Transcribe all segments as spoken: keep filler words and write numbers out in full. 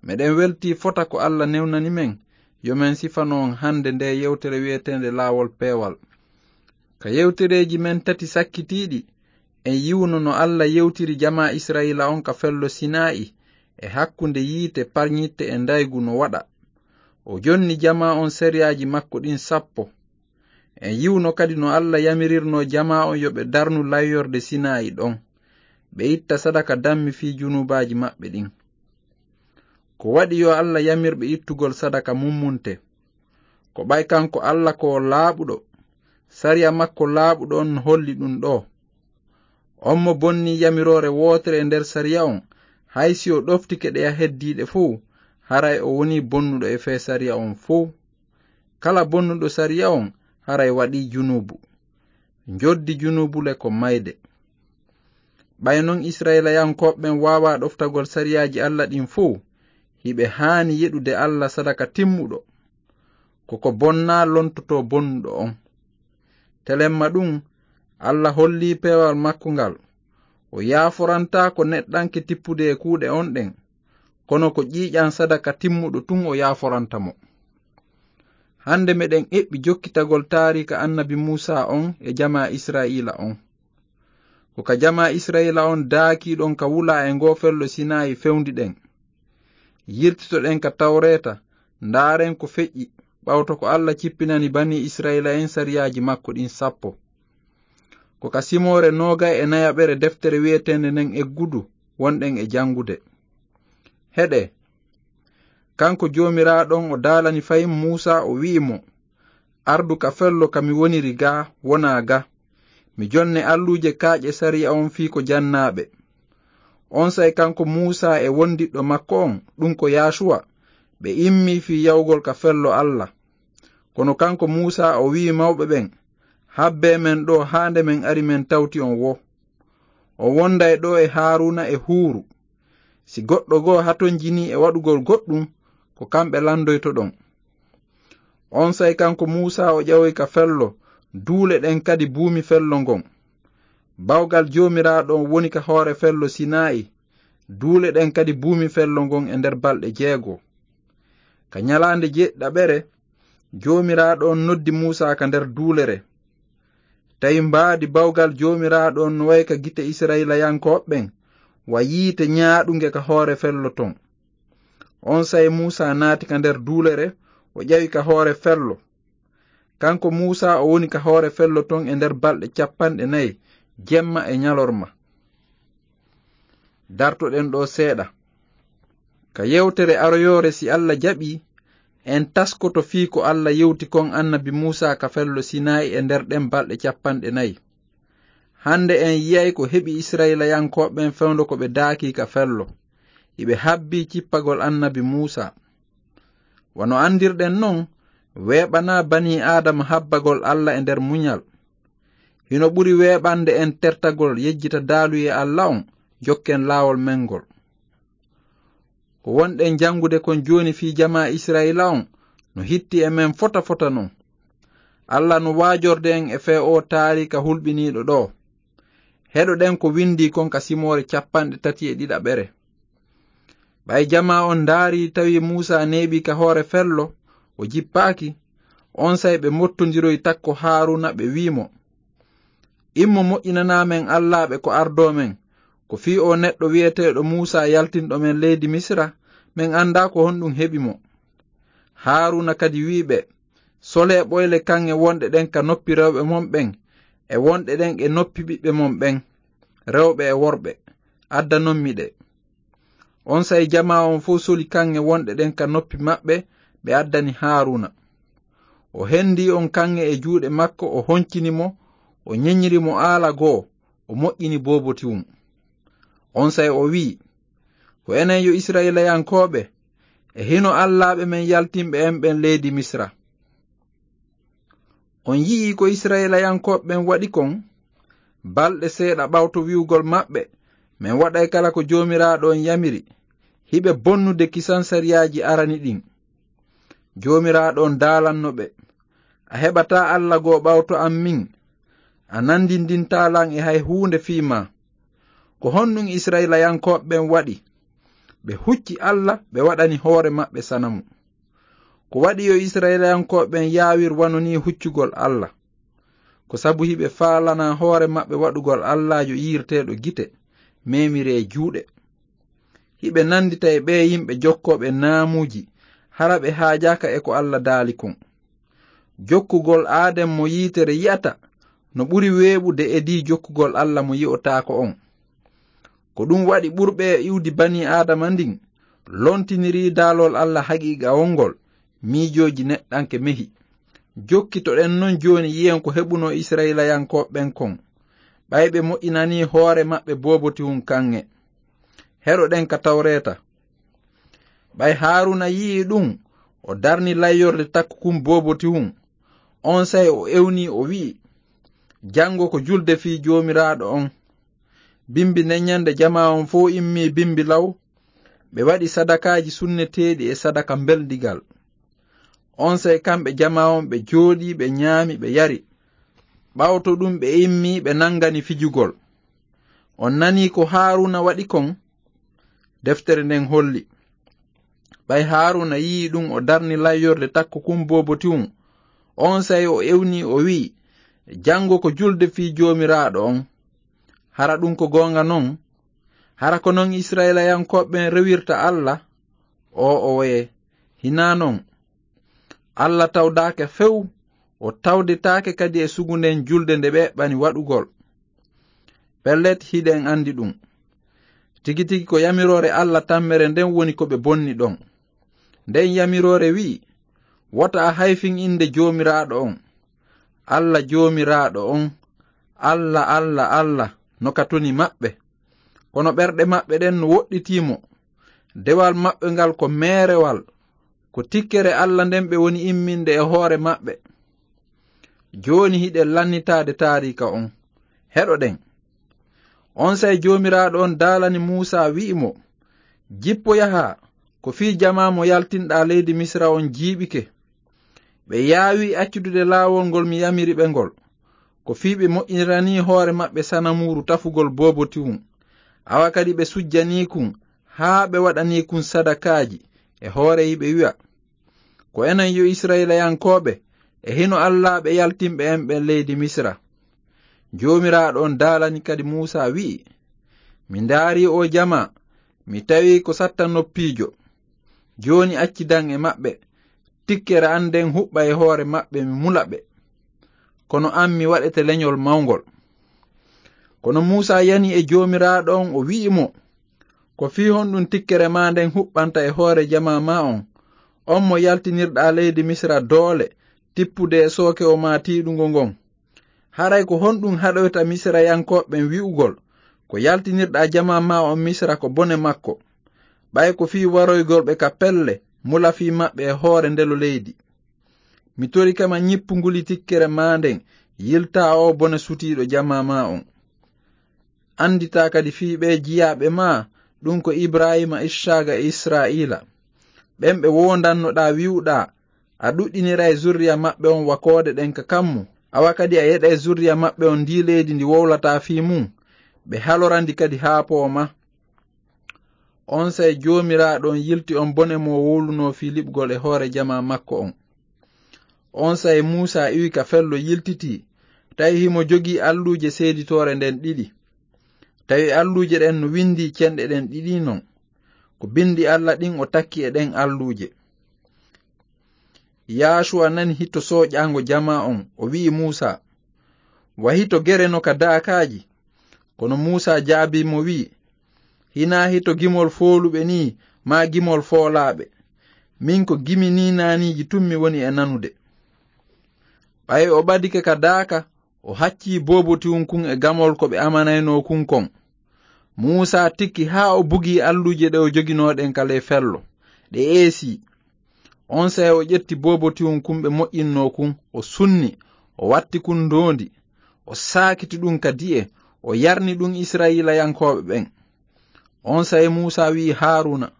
Meɗen weltii fota ko Alla newnani men, yo men sifano on hannde nde yewtere wi'eteende Laawol Peewal. Ka yewtereeji men tati sakkitiiɗi, en yi'uno no Alla yewtiri jamaa Isra'iila on ka fello Sinaa'i, e hakkunde yiite parñitte e ndaygu no waɗa. O jonni jamaa on sariyaaji makko ɗin sappo. En yi'uno kadi no Alla yamirirno jamaa on yo ɓe darnu layyorde Sinaa'i ɗon, ɓe itta sadaka dammi fii junuubaaji maɓɓe ɗin. Ko waɗi yo Alla yamir ɓe ittugol sadaka mummunte? Ko ɓay kanko Alla ko o laaɓuɗo, sariya makko laaɓuɗo on no holli ɗun ɗoo. On mo bonnii yamiroore wootere e nder sariya on, hay si o ɗoftike ɗeya heddiiɗe fow, haray o wonii bonnuɗo e fee sariya on fow. Kala bonnuɗo sariya on, haray waɗii junuubu. Njoddi junuubu le ko mayde. Ɓay non Isra'iilayankooɓe ɓen waawaa ɗoftagol sariyaaji Alla ɗin fow, hiɓe haani yeɗude Alla sadaka timmuɗo. Ko ko bonnaa lontotoo bonnuɗo on. Telemma ɗun, Alla hollii peewal makko ngal. O yaaforantaako neɗɗanke tippude e kuuɗe on ɗen, kono ko ƴiiƴan sadaka timmuɗo tun o yaaforanta mo. Hannde meɗen eɓɓi jokkitagol taariika annabi Muusaa on e jamaa Isra'iila on. Ko ka jamaa Isra'iila on daakii ɗon ka wulaa e ngoo fello Sinaayi fewndi ɗen. Yiltitoɗen ka Tawreeta, ndaaren ko feƴƴi, ɓawto ko Alla cippinani banii Isra'iila en sariyaaji makko ɗin sappo. Ko ka simoore noogay e nayaɓere deftere wi'eteende nden Eggudu wonɗen e janngude. Heɗee, kanko Joomiraaɗo on o daalani fahin Muusaa, o wi'i mo, "Ardu ka fello ka mi woniri gaa, wonaa gaa. Mi jonne alluuje kaaƴe sariya on fii ko jannaaɓe." Onsay kanko Muusaa e wondiɗɗo makko on, ɗun ko Yaasuwa, ɓe immii fii yawgol ka fello Alla. Kono kanko Muusaa o wi'i mawɓe ɓen, "Habbee men ɗoo haa nde men ari men tawti on woo. On wonday ɗoo e Haaruuna e Huuru. Si goɗɗo goo hatonjinii e waɗugol goɗɗun, ko kamɓe landoytoɗon." Onsay kanko Muusaa o ƴawoyi ka fello, duule ɗen kadi buumi fello ngon. Bawgal Joomiraaɗo on woni ka hoore fello Sinaayi, duule ɗen kadi buumi fello ngon e nder balɗe jeego. Ka ɲalaande jeeɗiɗaɓere, Joomiraaɗo on noddi Muusaa ka nder duulere. Tawi mbaadi bawgal Joomiraaɗo on no wa'i ka gite Isra'iilayankooɓe ɓen, wa yiite ɲaaɗunge ka hoore fello ton. Onsay Muusaa naati ka nder duulere, o ƴawi ka hoore fello. Kanko Muusaa o woni ka hoore fello ton e nder balɗe cappanɗe nayi, jemma e ɲalorma. Dartoɗen ɗoo seeɗa. Ka yewtere aroyoore, si Alla jaɓii, en taskoto fii ko Alla yewti kon annabi Muusaa ka fello Sinaayi e nder ɗen balɗe cappanɗe nayi. Hannde en yi'ay ko heɓi Isra'iilayankooɓe ɓen fewndo ko ɓe daakii ka fello. Hiɓe habbii cippagol annabi Muusaa. Wano anndirɗen non, weeɓanaa banii Aadama habbagol Alla e nder muɲal. Hino ɓuri weeɓande en tertagol yejjita daaluyee Alla on, jokken laawol men ngol. Ko wonɗen janngude kon jooni fii jamaa Isra'iila on, no hitti e men fota fota non. Alla no waajorde en e fee oo taariika hulɓiniiɗo ɗoo. Heɗoɗen ko windii kon ka simoore cappanɗe tati e ɗiɗaɓere. Ɓay jamaa on ndaarii, tawi Muusaa neeɓii ka hoore fello, o jippaaki, onsay ɓe mottondiroyi takko Haaruuna, ɓe wi'i mo, "Immo moƴƴinanaa men allaaɓe ko ardoo men, ko fii oo neɗɗo wi'eteeɗo Muusaa yaltinɗo men leydi Misira, men anndaa ko honɗun heɓi mo." Haaruuna kadi wi'i ɓe, "Solee ɓoyle kaŋŋe wonɗe ɗen ka noppi rewɓe mon ɓen, e wonɗe ɗen e noppi ɓiɓɓe mon ɓen, rewɓe e worɓe, addanonmi ɗe." Onsay jamaa on fow soli kaŋŋe wonɗe ɗen ka noppi maɓɓe, ɓe addani Haaruuna. O hendii on kaŋŋe e juuɗe makko, o honcini mo, o ɲeɲiri mo aala goo, o moƴƴini boobotiwun. Onsay o wi'i, "Ko enen yo Isra'iilayankooɓe, e hino allaaɓe men yaltinɓe en ɓen leydi Misira." On yi'ii ko Isra'iilayankooɓe ɓen waɗi kon? Balɗe seeɗa ɓawto wi'ugol maɓɓe, "Men waɗay kala ko Joomiraaɗo on yamiri," hiɓe bonnude kisan sariyaaji arani ɗin. Joomiraaɗo on daalanno ɓe, "A heɓataa Alla goo ɓawto an min. A nandindintaa lan e hay huunde fii maa." Ko honɗun Isra'iilayankooɓe ɓen waɗi? Ɓe hucci Alla, ɓe waɗani hoore maɓɓe sanamu. Ko waɗi yo Isra'ilayankooɓe ɓen yaawir wano nii huccugol Alla? Ko sabu hiɓe faalana hoore maɓɓe waɗugol Allaajo yiirteeɗo gite, meemiree juuɗe. Hiɓe nanndita e ɓee yimɓe jokkooɓe naamuuji, hara ɓe haajaaka e ko Alla daali kon. Jokkugol aaden mo yiitere yi'ata no ɓuri weeɓude e dii jokkugol Alla mo yi'otaako on. Ko ɗum waɗi ɓurɓe e iwdi banii Aadama ndin lontinirii daalol Alla haqiiqawol ngol, miijooji neɗɗanke mehi. Jokkitoɗen non jooni yi'en ko heɓunoo Isra'ilayankooɓe ɓen kon. Ɓay ɓe moƴƴinanii hoore maɓɓe boobotihun kaŋŋe. Heɗoɗen ka Tawreeta. Ɓay Haaruuna yi'ii ɗum, o darni layyorde takkukun boobotihun. Onsay o ewnii, o wi'i, "Janngo ko julde fii Joomiraaɗo on." Bimbi nden ɲande jamaa on fow immii bimbi law, ɓe waɗi sadakaaji sunneteeɗi e sadaka mbeldigal. Onsay kamɓe jamaa on ɓe jooɗii, ɓe ɲaami, ɓe yari. Ɓawto ɗum ɓe immii, ɓe nangani fijugol. On nanii ko Haaruuna waɗi kon? Deftere nden holli. Ɓay Haaruuna yi'ii ɗum, o darni layyorde takkukun boobotihun. Onsay o ewnii, o wi'i, "Janngo ko julde fii Joomiraaɗo on." Hara ɗum ko goonga non? Hara ko non Isra'ilayankooɓe ɓen rewirta Alla? Oo'owe, hinaa non. Alla tawdaaka few, o tawdetaake kadi e sugu nden julde nde ɓe eɓɓani waɗugol. Pellet, hiɗen andi ɗum. Tigi tigi ko yamiroore Alla tammere nden woni ko ɓe bonni ɗon. Nden yamiroore wi'i, "Wota a hayfin innde Joomiraaɗo on." Alla Joomiraaɗo on, Alla, Alla, Alla, no ka toni maɓɓe. Kono ɓerɗe maɓɓe ɗen no woɗɗitii mo. Dewal maɓɓe ngal ko meerewal. Ko tikkere Alla nden ɓe woni imminde e hoore maɓɓe. Jooni hiɗen lannitaade taariika on. Heɗoɗen. Onsay Joomiraaɗo on daalani Muusaa, wi'i mo, "Jippo yahaa, ko fii jamaa mo yaltinɗaa leydi Misira on jiiɓike." Ɓe yaawi accudude laawol ngol mi yamiri ɓe ngol. Ko fii ɓe moƴƴiniranii hoore maɓɓe sanamuuru tafugol boobotiwun. Awa kadi ɓe sujjanii kun, haa ɓe waɗanii kun sadakaaji e hoore yiɓe wi'a, "Ko enen yo Isra'ilayankooɓe, e hino allaaɓe yaltinɓe en ɓen leydi Misira." Joomiraaɗo on daalani kadi Muusaa, wi'i, "Mi ndaarii oo jamaa, mi tawi ko satta noppiijo. Jooni accidan e maɓɓe, tikkere an nden huɓɓa e hoore maɓɓe, mi mula ɓe. Kono an, mi waɗete lenyol mawngol." Kono Muusaa yani e Joomiraaɗo on, o wi'i mo, "Ko fii honɗun tikkere maa nden huɓɓanta e hoore jamaa maa on, on mo yaltinirɗaa leydi Misira doole tippude e sookewo maa tiiɗungo ngon? Haray ko honɗun haɗoyta Misirayankooɓe ɓen wi'ugol, ko yaltinirɗaa jamaa maa on Misira ko bone makko, ɓay ko fii waroygol ɓe ka pelle, mula fii maɓɓe e hoore ndelo leydi? Mi torike ma, ɲippu nguli tikkere maa nden, yiltaa oo bone sutiiɗo jamaa maa on. Anditaa kadi fii ɓee jiyaaɓe maa, ɗun ko Ibraahiima, Issaaqa e Israa'iila. Ɓen ɓe woondannoɗaa wi'uɗaa, a ɗuɗɗiniray zurriya maɓɓe on wa koode ɗen ka kammu, awa kadi a yeɗay zurriya maɓɓe on ndii leydi ndi wowlataa fii mun, ɓe halora ndi kadi haa pooma." Onsay Joomiraaɗo on yilti on bone mo wowlunoo fii liɓgol e hoore jamaa makko on. Onsay Muusaa iwi ka fello, yiltitii, tawi himo jogii alluuje seeditoore nden ɗiɗi. Tawi alluuje ɗen no windii cenɗe ɗen ɗiɗi non. Ko bindi Alla ɗin o takki e ɗen alluuje. Yaasuwa nani hito sooƴaango jamaa on, o wi'i Muusaa, "Wa hito gere no ka daakaaji." Kono Muusaa jaabii mo, wi'i, "Hinaa hito gimol fooluɓe nii, maa gimol foolaaɓe. Min ko gimi niinaaniiji tun mi woni e nanude." Ɓay o ɓadike ka daaka, o haccii boobotiwun kun e gamol ko ɓe amanaynoo kun kon. Muusaa tikki haa o bugii alluuje ɗe o joginoo ɗen ka ley fello, ɗe eesii. Onsay o ƴetti boobotiwun kun ɓe moƴƴinnoo kun, o sunni, o watti kun ndoondi, o saakiti ɗun ka di'e, o yarni ɗun Isra'iilayankooɓe ɓen. Onsay Muusaa wi'i Haaruuna,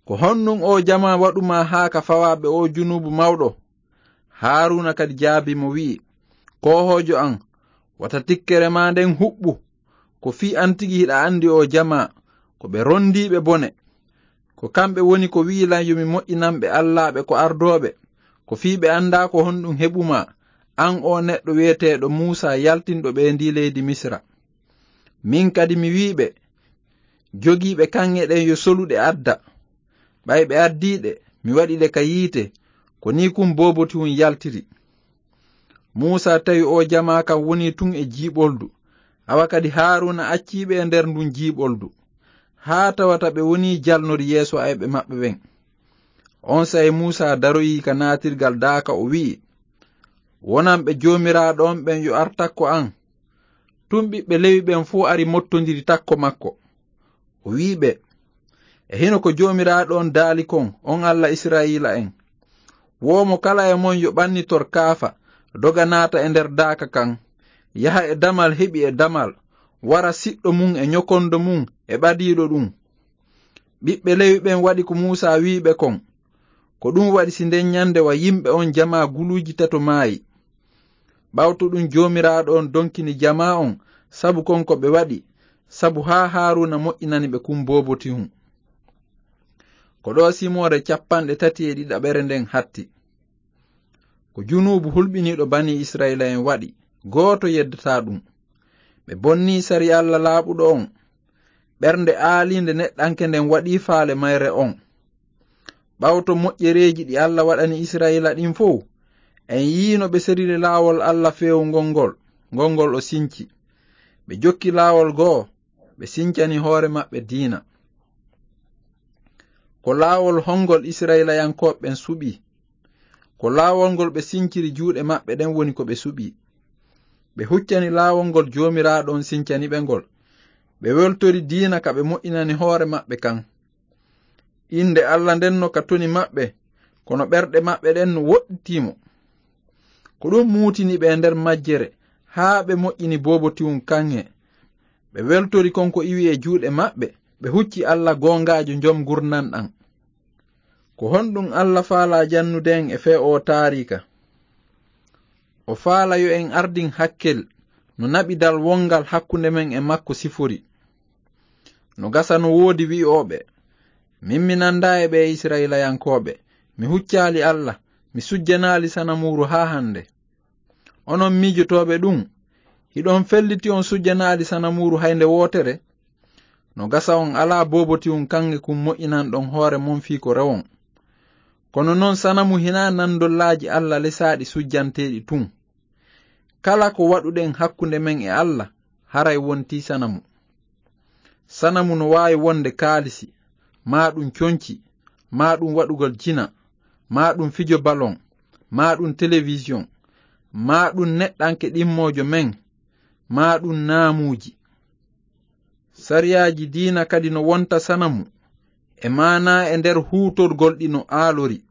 "Ko honɗun oo jamaa waɗu maa haa ka fawaa ɓe oo junuubu mawɗo?" Haaruuna kadi jaabii mo, wi'i, "Koohoojo an, wata tikkere maa nden huɓɓu. Ko fii an tigi hiɗa andi oo jamaa, ko ɓe rondiiɓe bone. Ko kamɓe woni ko wi'i lan yo mi moƴƴinan ɓe allaaɓe ko ardooɓe, ko fii ɓe anndaa ko honɗun heɓu maa, an oo neɗɗo wi'eteeɗo Muusaa yaltinɗo ɓe ndii leydi Misira. Min kadi mi wi'i ɓe, jogiiɓe kaŋŋe ɗen yo solu ɗe adda. Ɓay ɓe addii ɗe, mi waɗi ɗe ka yiite, ko nii kun booboti un yaltiri. Muusaa tawi oo jamaa kan wonii tun e jiiɓoldu, awa kadi Haaruuna accii ɓe e nder ndun jiiɓoldu, haa tawata ɓe wonii jalnori yeeso ayɓe maɓɓe ɓen. Onsay Muusaa daroyii ka naatirgal daaka, o wi'i, wonan ɓe joomiraaɗo on ɓen yo ar takko an. Tun ɓiɓɓe Lewi ɓen fow ari mottondiri takko makko. O wi'i ɓe, e hino ko Joomiraaɗo on daali kon, on Alla Isra'iila'en. Woo mo kala e mon yo ɓannitor kaafa, doga naata e nder daaka kan, yaha e damal heɓi e damal, wara siɗɗo mun e nyokondo mun e ɓadiiɗo ɗun. Ɓiɓɓe Lewi ɓen waɗi ko Muusaa wi'i ɓe kon. Ko ɗun waɗi si nden ɲande wa yimɓe on jamaa guluuji tato maayi. Ɓawto ɗun Joomiraaɗo on donkini jamaa on sabu kon ko ɓe waɗi, sabu haa Haaruuna moƴƴinani ɓe kun boobotihun. Ko ɗoo simoore cappanɗe tati e ɗiɗaɓere nden hatti. Ko junuubu hulɓiniiɗo banii Isra'iila'en waɗi, gooto yeddataa ɗun. Ɓe bonnii sariya Alla laaɓuɗo on. Ɓernde aaliinde neɗɗanke nden waɗii faale mayre on. Ɓawto moƴƴereeji ɗi Alla waɗani Isra'iila ɗin fow, en yi'i no ɓe seriri laawol Alla feewungol ngol, ngol ngol o sinci. Ɓe jokki laawol goo, ɓe sincani hoore maɓɓe diina. Ko laawol hongol Isra'iilayankooɓe ɓen suɓii? Ko laawol ngol ɓe sinciri juuɗe maɓɓe ɗen woni ko ɓe suɓii. Ɓe huccani laawol ngol Joomiraaɗo on sincani ɓe ngol. Ɓe weltori diina ka ɓe moƴƴinani hoore maɓɓe kan. Innde Alla nden no ka toni maɓɓe, kono ɓerɗe maɓɓe ɗen no woɗɗitii mo. Ko ɗun muutini ɓe e nder majjere, haa ɓe moƴƴini boobotiwun kaŋŋe. Ɓe weltori kon ko iwi e juuɗe maɓɓe, ɓe hucci Alla goongaajo jom ngurndan ɗan. Ko honɗun Alla faalaa jannude en e fee oo taariika? O faalaa yo en ardin hakkel no naɓidal wongal hakkunde men e makko sifori. No gasa no woodi wi'ooɓe, min mi nandaa e ɓee Isra'iilayankooɓe, mi huccaali Alla, mi sujjanaali sanamuuru haa hande. Onon miijotooɓe ɗun, hiɗon felliti on sujjanaali sanamuuru hay nde wootere? No gasa on alaa boobotiwun kaŋŋe kun moƴƴinanɗon hoore mon fii ko rewon. Kono non sanamu hinaa nandollaaji Alla lesaaɗi sujjanteeɗi tun. Kala ko waɗuɗen hakkunde men e Alla, haray wontii sanamu. Sanamu no waawi wonde kaalisi, maa ɗun conci, maa ɗun waɗugol jina, maa ɗun fijo balon, maa ɗun telewisiyon, maa ɗun neɗɗanke ɗimmoojo men, maa ɗun naamuuji. Sariyaaji diina kadi no wonta sanamu, e maanaa e nder huutorgol ɗi no aalori.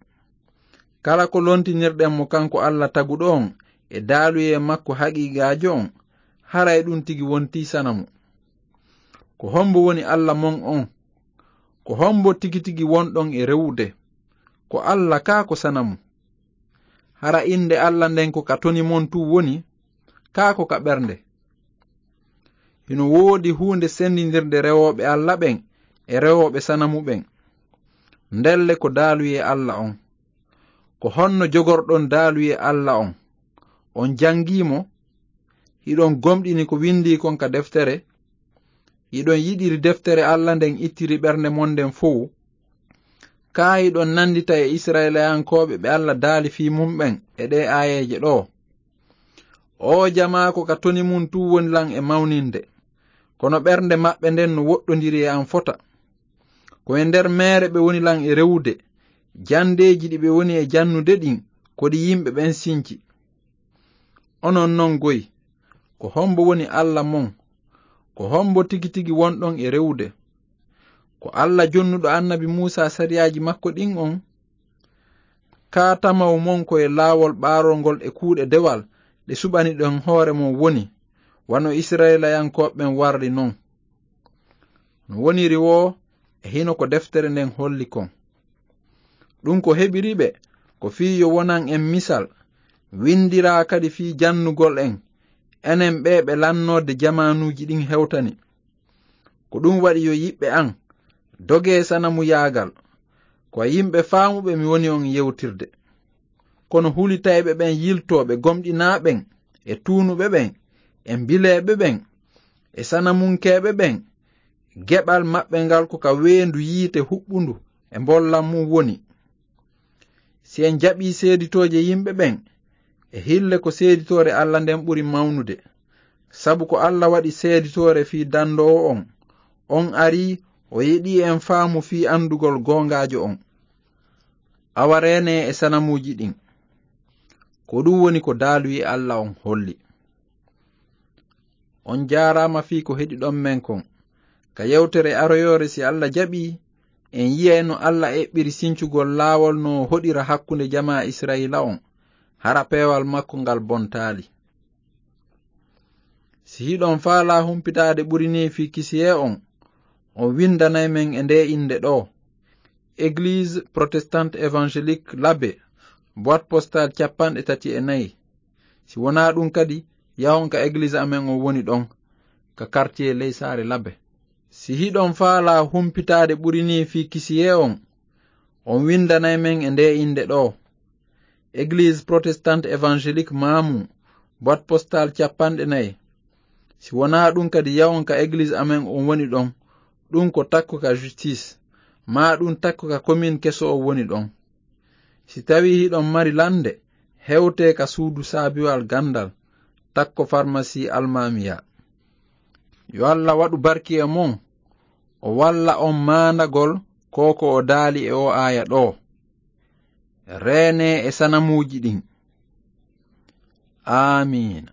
Kala ko lontinirɗen mo kanko Alla taguɗo on e daaluyee makko haqiiqaajo on, haray ɗun tigi wontii sanamu. Ko hombo woni Alla mon on? Ko hombo tigi tigi wonɗon e rewude? Ko Alla kaa ko sanamu? Hara innde Alla nden ko ka toni mon tun woni, kaa ko ka ɓernde? Hino woodi huunde sendindirde rewooɓe Alla ɓen e rewooɓe sanamu ɓen. Ndelle ko daaluyee Alla on. Ko honno jogorɗon daaluyee Alla on? On jangii mo? Hiɗon gomɗini ko windii kon ka deftere? Hiɗon yiɗiri deftere Alla nden ittiri ɓernde mon nden fow? Kaa hiɗon nandita e Isra'iilayankooɓe ɓe Alla daali fii mun ɓen e ɗee aayeeje ɗoo? Oo jamaa ko ka toni mun tun woni lan e mawninde, kono ɓernde maɓɓe nden no woɗɗondiri e an fota. Ko e nder meere ɓe woni lan e rewude, jandeeji ɗi ɓe woni e jannude ɗin ko ɗi yimɓe ɓen sinci. Onon non goy, ko hombo woni Alla mon? Ko hombo tigi tigi wonɗon e rewude? Ko Alla jonnuɗo annabi Muusaa sariyaaji makko ɗin on? Kaa tamaw mon ko e laawol ɓaarol ngol e kuuɗe dewal ɗe suɓaniɗon hoore mon woni, wano Isra'iilayankooɓe ɓen warri non? No woniri woo, e hino ko deftere nden holli kon. Ɗun ko heɓiri ɓe, ko fii yo wonan en misal, windiraa kadi fii jannugol en, enen ɓee ɓe lannoode jamaanuuji ɗin hewtani. Ko ɗun waɗi yo yiɓɓe an, Dogee sanamuyaagal, ko e yimɓe faamuɓe mi woni on yewtirde. Kono hulitayɓe ɓen yiltooɓe gomɗinaa ɓen, e tuunuɓe ɓen, e mbileeɓe ɓen, e sanamunkeeɓe ɓen, geɓal maɓɓe ngal ko ka weendu yiite huɓɓundu e mbollan mum woni. Si en jaɓii seeditooje yimɓe ɓen, e hille ko seeditoore Alla nden ɓuri mawnude. Sabu ko Alla waɗi seeditoore fii dandoowo on, on arii o yeɗii en faamu fii andugol goongaajo on. Awa reenee e sanamuuji ɗin. Ko ɗum woni ko daaluyi Alla on holli. On jaaraama fii ko heɗiɗon men kon. Ka yewtere aroyoore, si Alla jaɓii, en yi'ay no Alla eɓɓiri sincugol laawol no o hoɗira hakkunde jamaa Isra'iila on, hara peewal makko ngal bontaali. Si hiɗon faalaa humpitaade ɓuri nii fii kisiyee on, on windanay men e ndee innde ɗoo: Église Protestante Évangélique Labe, boîte postale capanɗe tati e nayi. Si wonaa ɗum kadi, yahon ka egliis amen on woni ɗon, ka quartier ley saare Labe. Si hiɗon faalaa humpitaade ɓuri nii fii kisiyee on, on windanay men e ndee innde ɗoo: Église Protestante Évangélique Mamou, boîte postale capanɗe nayi. Si wonaa ɗum kadi, yahon ka egliis amen on woni ɗon, ɗum ko takko ka Justice, maa ɗum takko ka commune keso on woni ɗon. Si tawii hiɗon mari lannde, hewtee ka suudu saabiwal ganndal, takko farmasii Almaamiya. Yo Alla waɗu barki e mon, o walla on maandagol ko ko o daali e oo aaya ɗoo. Reenee e sanamuuji ɗin. Aamiina.